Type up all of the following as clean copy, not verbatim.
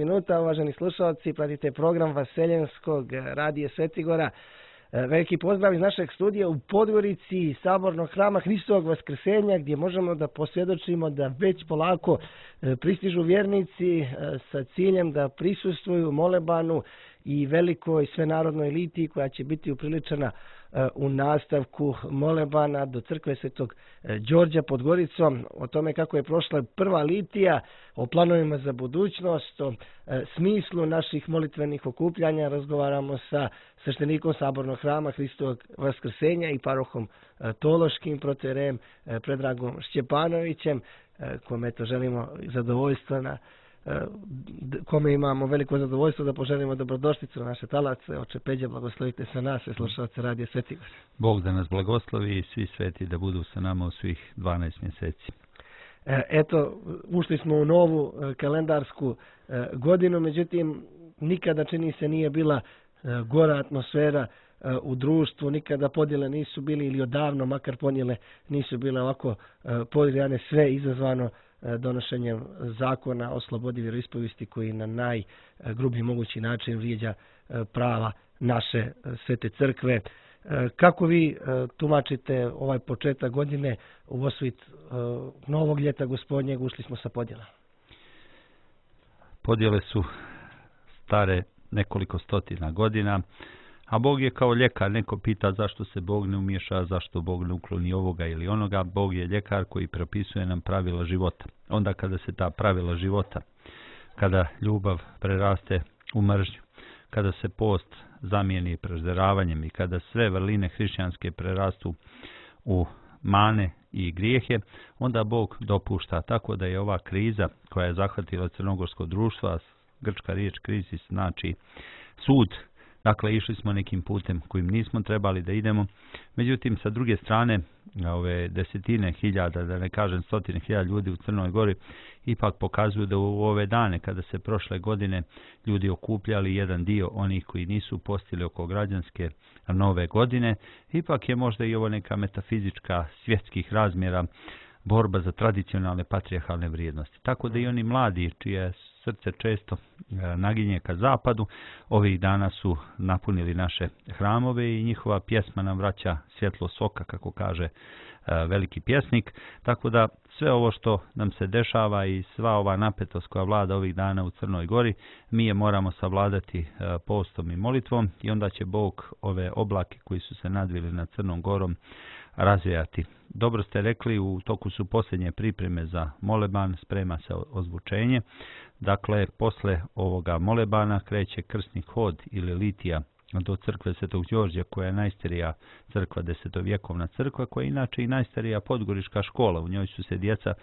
minuta, uvaženi slušalci, pratite program Vaseljenskog radija Svetigora. Veliki pozdrav iz našeg studija u Podgorici, sabornog hrama Hristovog Vaskrsenja, gdje možemo da posvjedočimo da već polako pristižu vjernici sa ciljem da prisustvuju molebanu i velikoj svenarodnoj eliti koja će biti upriličena u nastavku molebana do crkve Svetog Đorđa pod Goricom. O tome kako je prošla prva litija, o planovima za budućnost, o smislu naših molitvenih okupljanja razgovaramo sa sveštenikom sabornog hrama Hristovog Vaskrsenja i parohom Tološkim, protoijerejem Predragom Šćepanovićem, kome to želimo zadovoljstva kome imamo veliko zadovoljstvo da poželimo dobrodošlicu na naše talace. Oče Peđa, blagoslovite sa nas i slušalce radija Svetigora. Bog da nas blagoslovi i svi sveti da budu sa nama u svih 12 mjeseci. Eto, ušli smo u novu kalendarsku godinu, međutim, nikada čini se nije bila gora atmosfera u društvu, nikada podjele nisu bili ili odavno, makar podjele nisu bile ovako podijane, sve izazvano donošenjem zakona o slobodi vjeroispovijesti koji na najgrublji mogući način vrijeđa prava naše svete crkve. Kako vi tumačite ovaj početak godine u osvit novog ljeta gospodnjeg? Ušli smo sa podjelama. Podjele su stare nekoliko stotina godina, a Bog je kao ljekar. Neko pita zašto se Bog ne umješa, zašto Bog ne ukloni ovoga ili onoga. Bog je ljekar koji propisuje nam pravila života. Onda kada se ta pravila života, kada ljubav preraste u mržnju, kada se post zamijeni prežderavanjem i kada sve vrline hrišćanske prerastu u mane i grijehe, onda Bog dopušta. Tako da je ova kriza koja je zahvatila crnogorsko društvo, grčka riječ krizis znači sud. Dakle, išli smo nekim putem kojim nismo trebali da idemo. Međutim, sa druge strane, ove desetine hiljada, da ne kažem stotine hiljada ljudi u Crnoj Gori, ipak pokazuju da u ove dane, kada se prošle godine ljudi okupljali jedan dio onih koji nisu postili oko građanske nove godine, ipak je možda i ovo neka metafizička svjetskih razmjera borba za tradicionalne patrijarhalne vrijednosti. Tako da i oni mladi, čije srce često naginje ka zapadu, ovih dana su napunili naše hramove i njihova pjesma nam vraća svjetlo soka, kako kaže veliki pjesnik. Tako da sve ovo što nam se dešava i sva ova napetost koja vlada ovih dana u Crnoj Gori, mi je moramo savladati postom i molitvom i onda će Bog ove oblake koji su se nadvili nad Crnom Gorom razvijati. Dobro ste rekli, u toku su posljednje pripreme za moleban, sprema se ozvučenje. Dakle, posle ovoga molebana kreće krsni hod ili litija do crkve Svetog Đorđa, koja je najstarija crkva, desetovjekovna crkva, koja je inače i najstarija podgorička škola. U njoj su se djeca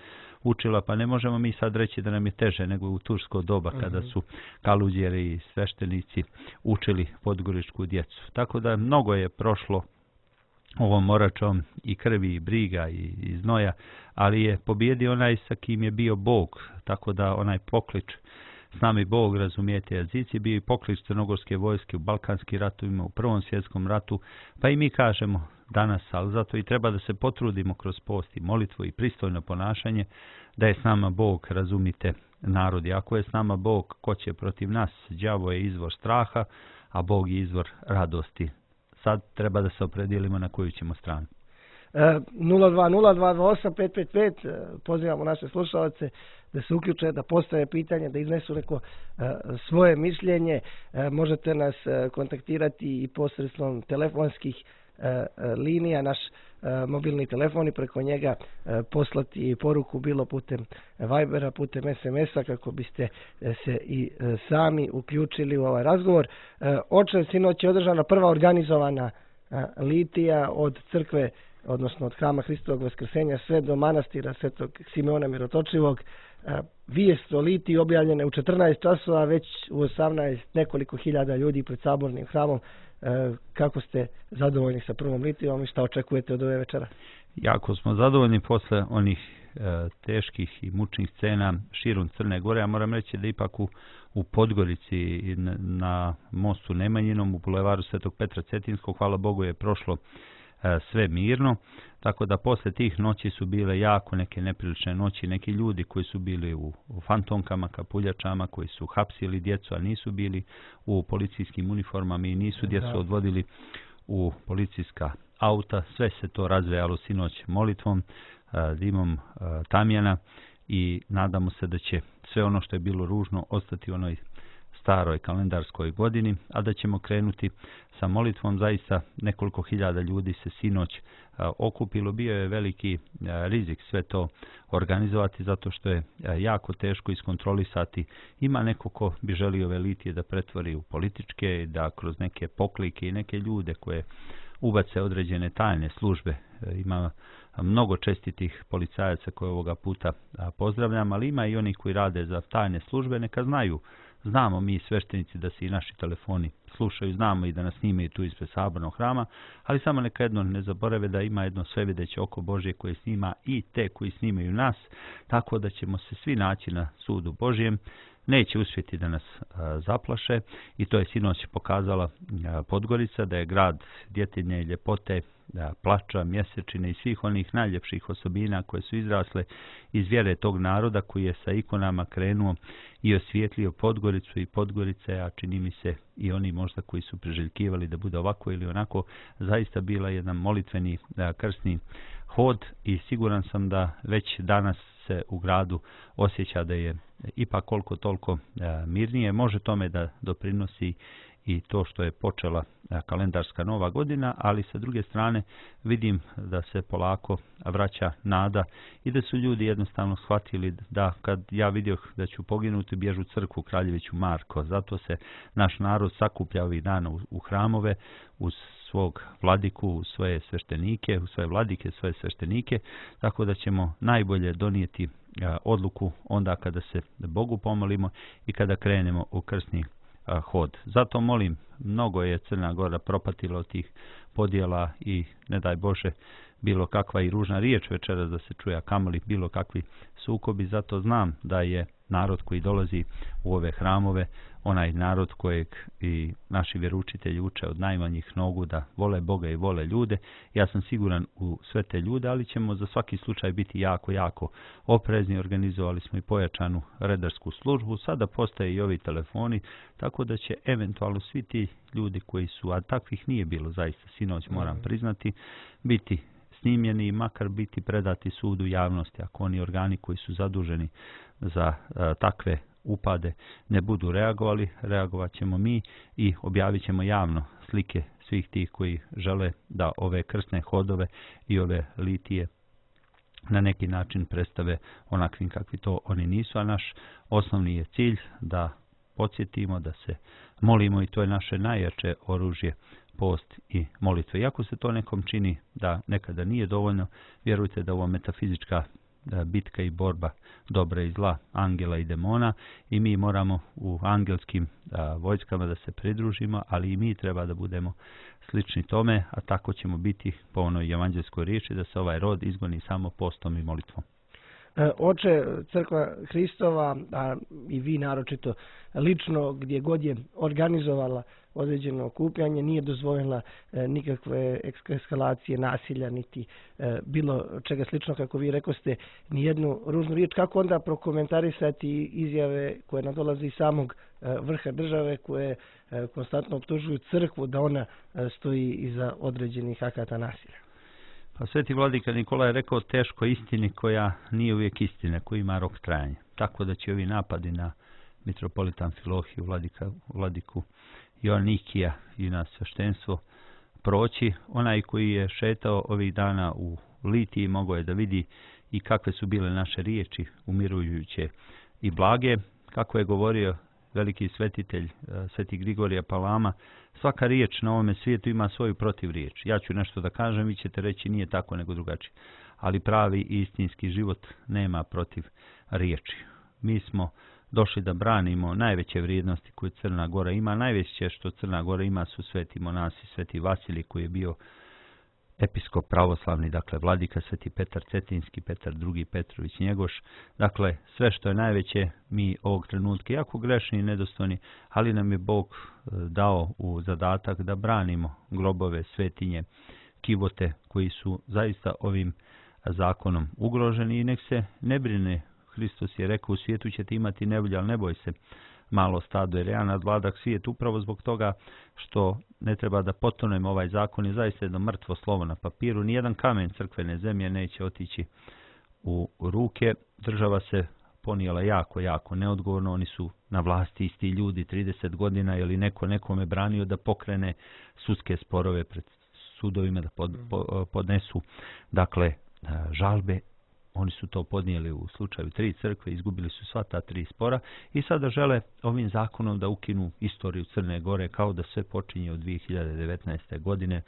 učila, pa ne možemo mi sad reći da nam je teže nego u tursko doba kada su kaluđeri i sveštenici učili podgoričku djecu. Tako da mnogo je prošlo ovom moračom i krvi i briga i znoja, ali je pobjedio onaj sa kim je bio Bog, tako da onaj poklič s nami Bog, razumijete jezici, bio i poklič crnogorske vojske u Balkanskim ratovima, u Prvom svjetskom ratu, pa i mi kažemo danas, ali zato i treba da se potrudimo kroz post i molitvu i pristojno ponašanje, da je s nama Bog, razumite narodi. Ako je s nama Bog, ko će protiv nas? Đavo je izvor straha, a Bog je izvor radosti. Sad treba da se opredijelimo na koju ćemo stranu. 020228555, pozivamo naše slušalce da se uključe, da postave pitanje, da iznesu neko svoje mišljenje. Možete nas kontaktirati i posredstvom telefonskih linija, naš mobilni telefon i preko njega poslati poruku bilo putem Vibera, putem SMS-a kako biste se i sami uključili u ovaj razgovor. Oče, sinoć je održana prva organizovana litija od crkve, odnosno od hrama Hristovog Vaskrsenja sve do manastira Svetog Simeona Mirotočivog. Vijest o litiji objavljene u 14 časova, već u 18 nekoliko hiljada ljudi pred sabornim hramom. Kako ste zadovoljni sa prvom litijom i šta očekujete od ove večera? Jako smo zadovoljni posle onih teških i mučnih scena širom Crne Gore. Ja moram reći da ipak u Podgorici na mostu Nemanjinom, u bulevaru Svetog Petra Cetinskog, hvala Bogu, je prošlo sve mirno. Tako da posle tih noći su bile jako neke neprilične noći, neki ljudi koji su bili u fantomkama, kapuljačama, koji su hapsili djecu, a nisu bili u policijskim uniformama i nisu djecu odvodili u policijska auta. Sve se to razvejalo sinoć molitvom, dimom tamjana i nadamo se da će sve ono što je bilo ružno ostati u onoj staroj kalendarskoj godini, a da ćemo krenuti sa molitvom. Zaista nekoliko hiljada ljudi se sinoć okupilo. Bio je veliki rizik sve to organizovati zato što je jako teško iskontrolisati. Ima neko ko bi želio ove litije da pretvori u političke, da kroz neke poklike i neke ljude koje ubace određene tajne službe. Ima mnogo čestitih policajaca koje ovoga puta pozdravljam, ali ima i oni koji rade za tajne službe, neka znaju. Znamo mi sveštenici da se i naši telefoni slušaju, znamo i da nas snimaju tu ispred sabornog hrama, ali samo neka jedno ne zaborave da ima jedno svevideće oko Božje koje snima i te koji snimaju nas, tako da ćemo se svi naći na sudu Božjem. Neće uspjeti da nas zaplaše i to je sinoć pokazala Podgorica, da je grad djetinje i ljepote, plača, mjesečine i svih onih najljepših osobina koje su izrasle iz vjere tog naroda koji je sa ikonama krenuo i osvijetlio Podgoricu i Podgorice, a čini mi se i oni možda koji su priželjkivali da bude ovako ili onako, zaista bila jedan molitveni krsni hod i siguran sam da već danas se u gradu osjeća da je ipak koliko toliko mirnije. Može tome da doprinosi i to što je počela kalendarska nova godina, ali sa druge strane vidim da se polako vraća nada i da su ljudi jednostavno shvatili da kad ja vidio da ću poginuti, bježu u crkvu Kraljeviću Marko. Zato se naš narod sakuplja ovih dana u hramove uz svog vladiku, u svoje sveštenike, u svoje vladike, svoje sveštenike, tako da ćemo najbolje donijeti odluku onda kada se Bogu pomolimo i kada krenemo u krsni hod. Zato molim, mnogo je Crna Gora propatila od tih podjela i ne daj Bože bilo kakva i ružna riječ večeras da se čuje, a kamoli bilo kakvi sukobi. Zato znam da je narod koji dolazi u ove hramove onaj narod kojeg i naši vjeroučitelji uče od najmanjih nogu da vole Boga i vole ljude. Ja sam siguran u sve te ljude, ali ćemo za svaki slučaj biti jako oprezni. Organizovali smo i pojačanu redarsku službu. Sada postoje i ovi telefoni, tako da će eventualno svi ti ljudi koji su, a takvih nije bilo zaista sinoć, moram priznati, biti snimljeni i makar biti predati sudu javnosti. Ako oni organi koji su zaduženi za takve upade ne budu reagovali, reagovat ćemo mi i objavit ćemo javno slike svih tih koji žele da ove krsne hodove i ove litije na neki način predstave onakvim kakvi to oni nisu, a naš osnovni je cilj da podsjetimo, da se molimo i to je naše najjače oružje, post i molitve. Iako se to nekom čini da nekada nije dovoljno, vjerujte da ovo metafizička bitka i borba dobra i zla, angela i demona, i mi moramo u angelskim vojskama da se pridružimo, ali i mi treba da budemo slični tome, a tako ćemo biti po onoj evanđelskoj riječi da se ovaj rod izgoni samo postom i molitvom. Oče, Crkva Hristova, a i vi naročito lično, gdje god je organizovala određeno okupljanje, nije dozvoljila nikakve eskalacije nasilja, niti bilo čega slično, kako vi rekoste, ni jednu ružnu riječ. Kako onda prokomentarisati izjave koje nadolaze iz samog vrha države, koje konstantno optužuju crkvu da ona stoji iza određenih akata nasilja? Pa Sveti vladika Nikola je rekao teško istini koja nije uvijek istina, koja ima rok trajanja. Tako da će ovi napadi na mitropolita Amfilohiju, vladiku Joannikija i na sveštenstvo proći. Onaj koji je šetao ovih dana u Litiji mogao je da vidi i kakve su bile naše riječi umirujuće i blage. Kako je govorio veliki svetitelj Sveti Grigorije Palama, svaka riječ na ovome svijetu ima svoju protivriječ. Ja ću nešto da kažem, vi ćete reći nije tako nego drugačije. Ali pravi i istinski život nema protiv riječi. Mi smo došli da branimo najveće vrijednosti koje Crna Gora ima. Najveće što Crna Gora ima su sveti monasi, Sveti Vasilij koji je bio episkop pravoslavni, dakle vladika, Sveti Petar Cetinski, Petar II. Petrović Njegoš. Dakle, sve što je najveće mi ovog trenutka, jako grešni i nedostojni, ali nam je Bog dao u zadatak da branimo grobove, svetinje, kivote koji su zaista ovim zakonom ugroženi i nek se ne brine. Hristos je rekao, u svijetu ćete imati nevolje, ali ne boj se, malo stado, jer ja nadvladak svijet upravo zbog toga što ne treba da potonemo. Ovaj zakon je zaista jedno mrtvo slovo na papiru. Nijedan kamen crkvene zemlje neće otići u ruke. Država se ponijela jako neodgovorno. Oni su na vlasti isti ljudi 30 godina ili neko nekome branio da pokrene sudske sporove pred sudovima, da podnesu žalbe. Oni su to podnijeli u slučaju 3 crkve, izgubili su sva ta 3 spora i sada žele ovim zakonom da ukinu istoriju Crne Gore, kao da sve počinje od 2019. godine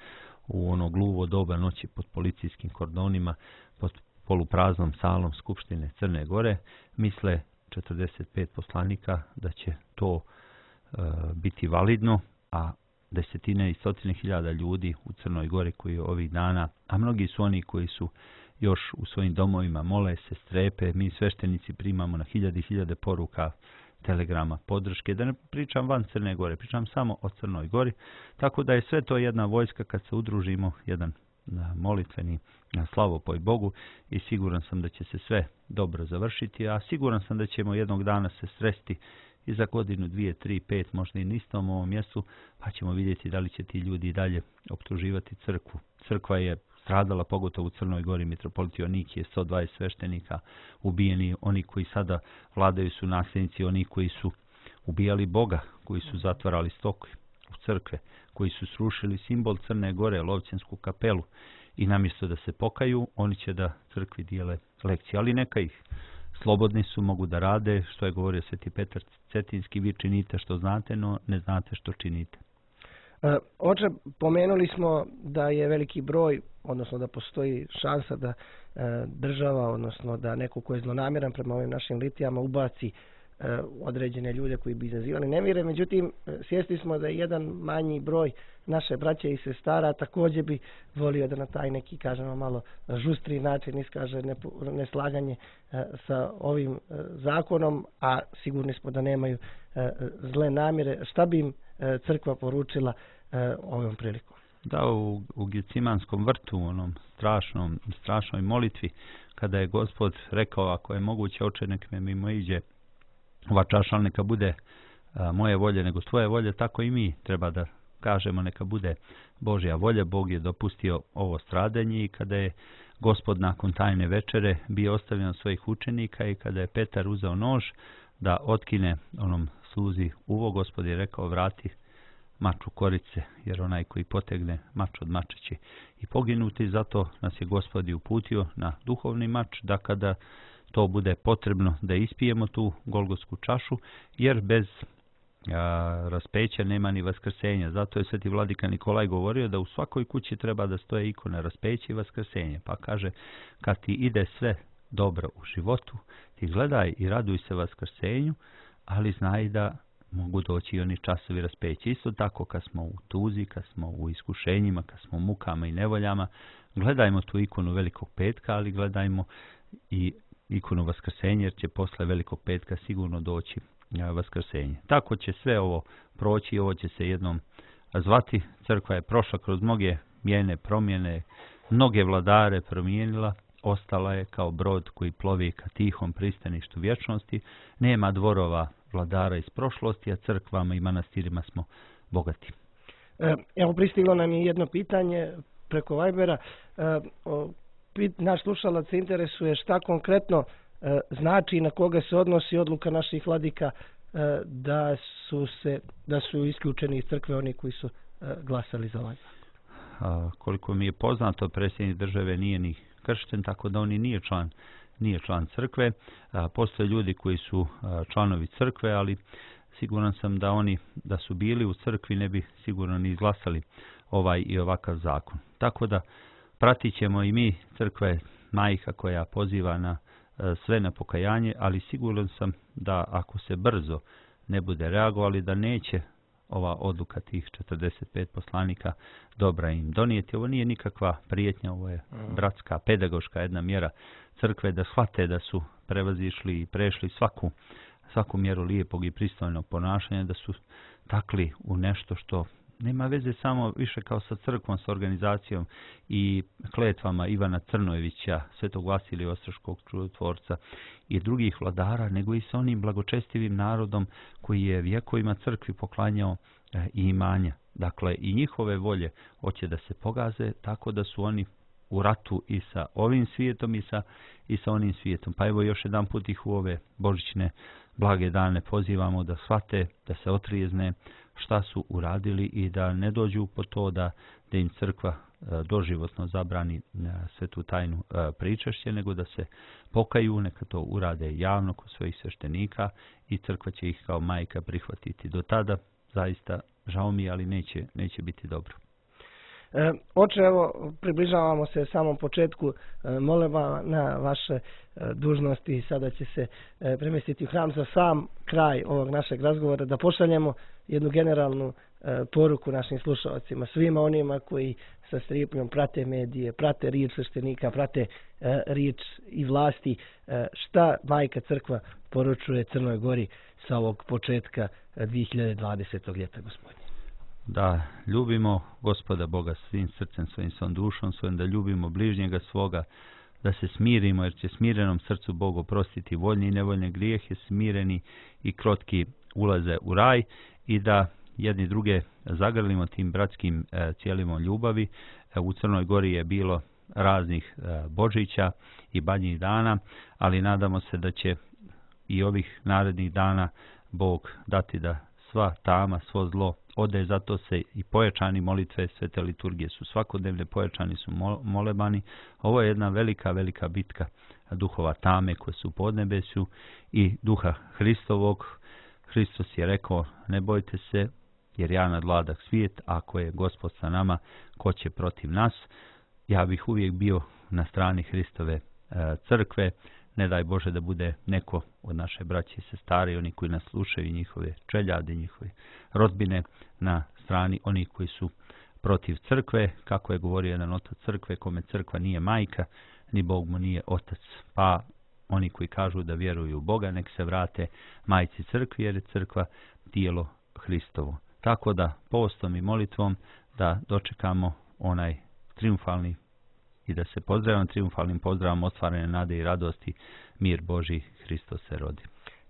u ono gluvo doba noći pod policijskim kordonima, pod polupraznom salom Skupštine Crne Gore. Misle 45 poslanika da će to biti validno, a desetine i stotine hiljada ljudi u Crnoj Gori koji ovih dana, a mnogi su oni koji su još u svojim domovima, mole se, strepe. Mi sveštenici primamo na hiljade poruka, telegrama, podrške. Da ne pričam van Crne Gore, pričam samo o Crnoj Gori. Tako da je sve to jedna vojska kad se udružimo, jedan molitveni slavopoj Bogu i siguran sam da će se sve dobro završiti, a siguran sam da ćemo jednog dana se sresti i za godinu, 2, 3, 5, možda i na istom ovom mjestu, pa ćemo vidjeti da li će ti ljudi dalje optuživati crkvu. Crkva je stradala, pogotovo u Crnoj Gori. Mitropolit Joanikije, 120 sveštenika ubijeni, oni koji sada vladaju su nasljednici, oni koji su ubijali Boga, koji su zatvarali stoku u crkve, koji su srušili simbol Crne Gore, Lovćensku kapelu, i namjesto da se pokaju, oni će da crkvi dijele lekcije. Ali neka ih, slobodni su, mogu da rade, što je govorio Sveti Petar Cetinski, vi činite što znate, no ne znate što činite. Oče, pomenuli smo da je veliki broj, odnosno da postoji šansa da država, odnosno da neko ko je zlonamjeran prema ovim našim litijama ubaci određene ljude koji bi izazivali nemire. Međutim, svjesni smo da je jedan manji broj naše braće i sestara također bi volio da na taj neki, kažemo, malo žustri način iskaže neslaganje sa ovim zakonom, a sigurni smo da nemaju zle namjere. Šta bi im crkva poručila ovom prilikom? Da, u Gecimanskom vrtu, u onom strašnoj molitvi, kada je Gospod rekao, ako je moguće, Oče, nek me mimo iđe ova čaša, ali neka bude moje volje nego tvoje volje, tako i mi treba da kažemo neka bude Božja volja. Bog je dopustio ovo stradanje i kada je Gospod nakon tajne večere bio ostavljen od svojih učenika i kada je Petar uzeo nož da otkine onom sluzi uvo, Gospod je rekao, vrati mač u korice, jer onaj koji potegne mač od mača će i poginuti. Zato nas je Gospod uputio na duhovni mač, da kada to bude potrebno da ispijemo tu golgotsku čašu, jer bez raspeća nema ni vaskrsenja. Zato je sveti vladika Nikolaj govorio da u svakoj kući treba da stoje ikona raspeća i vaskrsenja. Pa kaže, kad ti ide sve dobro u životu, ti gledaj i raduj se vaskrsenju, ali znaj da mogu doći i oni časovi raspeća. Isto tako kad smo u tuzi, kad smo u iskušenjima, kad smo u mukama i nevoljama, gledajmo tu ikonu Velikog petka, ali gledajmo i ikonu vaskrsenja, jer će posle Velikog petka sigurno doći vaskrsenje. Tako će sve ovo proći i ovo će se jednom zvati. Crkva je prošla kroz mnoge mijene promjene, mnoge vladare promijenila, ostala je kao brod koji plovi ka tihom pristaništu vječnosti. Nema dvorova vladara iz prošlosti, a crkvama i manastirima smo bogati. Evo, pristiglo nam je jedno pitanje preko Vibera. Naš slušalac se interesuje šta konkretno znači i na koga se odnosi odluka naših vladika da su isključeni iz crkve oni koji su glasali za ovaj. Koliko mi je poznato, predsjednik države nije ni kršten, tako da on nije član crkve. Postoje ljudi koji su članovi crkve, ali siguran sam da su bili u crkvi ne bi sigurno ni izglasali ovaj i ovakav zakon. Tako da pratit ćemo i mi, crkva je majka koja poziva na sve na pokajanje, ali siguran sam da ako se brzo ne bude reagovali, da neće ova odluka tih 45 poslanika dobra im donijeti. Ovo nije nikakva prijetnja, ovo je bratska, pedagoška jedna mjera crkve da shvate da su prevazišli i prešli svaku mjeru lijepog i pristojnog ponašanja, da su takli u nešto što nema veze samo više kao sa crkvom, sa organizacijom i kletvama Ivana Crnojevića, Svetog Vasilija Ostroškog čudotvorca i drugih vladara, nego i sa onim blagočestivim narodom koji je vjekovima crkvi poklanjao i imanja. Dakle, i njihove volje hoće da se pogaze, tako da su oni u ratu i sa ovim svijetom i sa onim svijetom. Pa evo još jedan put ih u ove božićne blage dane pozivamo da shvate, da se otrijezne šta su uradili i da ne dođu po to da im crkva doživotno zabrani svetu tajnu pričašće, nego da se pokaju, neka to urade javno kod svojih sveštenika i crkva će ih kao majka prihvatiti. Do tada zaista žao mi, ali neće biti dobro. Oče, evo, približavamo se samom početku moleba na vaše dužnosti. Sada će se premjestiti u hram za sam kraj ovog našeg razgovora, da pošaljemo jednu generalnu poruku našim slušalcima, svima onima koji sa stripnjom prate medije, prate riječ sveštenika, prate riječ i vlasti. Šta majka crkva poručuje Crnoj Gori sa ovog početka 2020. ljeta, Gospodine? Da ljubimo Gospoda Boga svim srcem svojim, svom dušom svojim, da ljubimo bližnjega svoga, da se smirimo, jer će smirenom srcu Bog oprostiti voljni i nevoljne grijehe, smireni i krotki ulaze u raj, i da jedni druge zagrlimo tim bratskim cijelimo ljubavi. U Crnoj Gori je bilo raznih Božića i Badnjih dana, ali nadamo se da će i ovih narednih dana Bog dati da sva tama, svo zlo ode. Zato se i pojačani molitve, svete liturgije su svakodnevne, pojačani su molebani. Ovo je jedna velika bitka duhova tame koje su u podnebesu i duha Hristovog. Hristos je rekao, ne bojte se, jer ja nadvladah svijet, ako je Gospod sa nama, ko će protiv nas? Ja bih uvijek bio na strani Hristove crkve. Ne daj Bože da bude neko od naše braće i sestara i oni koji nas slušaju, njihove čeljade, njihove rodbine, na strani onih koji su protiv crkve, kako je govorio jedan otac crkve, kome crkva nije majka, ni Bog mu nije otac. Pa oni koji kažu da vjeruju u Boga, nek se vrate majci crkvi, jer je crkva tijelo Hristovo. Tako da postom i molitvom da dočekamo onaj triumfalni i da se pozdravimo triumfalnim pozdravom ostvarene nade i radosti, mir Božji, Hristos se rodi.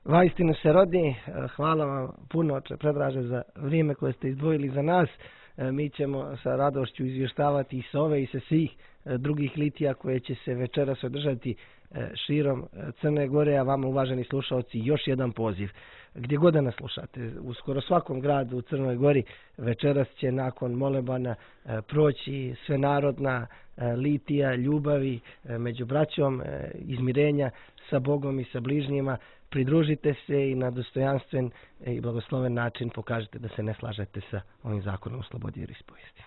Vaistinu se rodi. Hvala vam puno, oče Predraže, za vrijeme koje ste izdvojili za nas. Mi ćemo sa radošću izvještavati i sa ove i sa svih drugih litija koje će se večeras održati širom Crne Gore, a vama, uvaženi slušalci, još jedan poziv. Gdje god da nas slušate, u skoro svakom gradu u Crnoj Gori večeras će nakon molebana proći svenarodna litija ljubavi među braćom, izmirenja sa Bogom i sa bližnjima. Pridružite se i na dostojanstven i blagosloven način pokažete da se ne slažete sa ovim zakonom o slobodi i ispovijesti.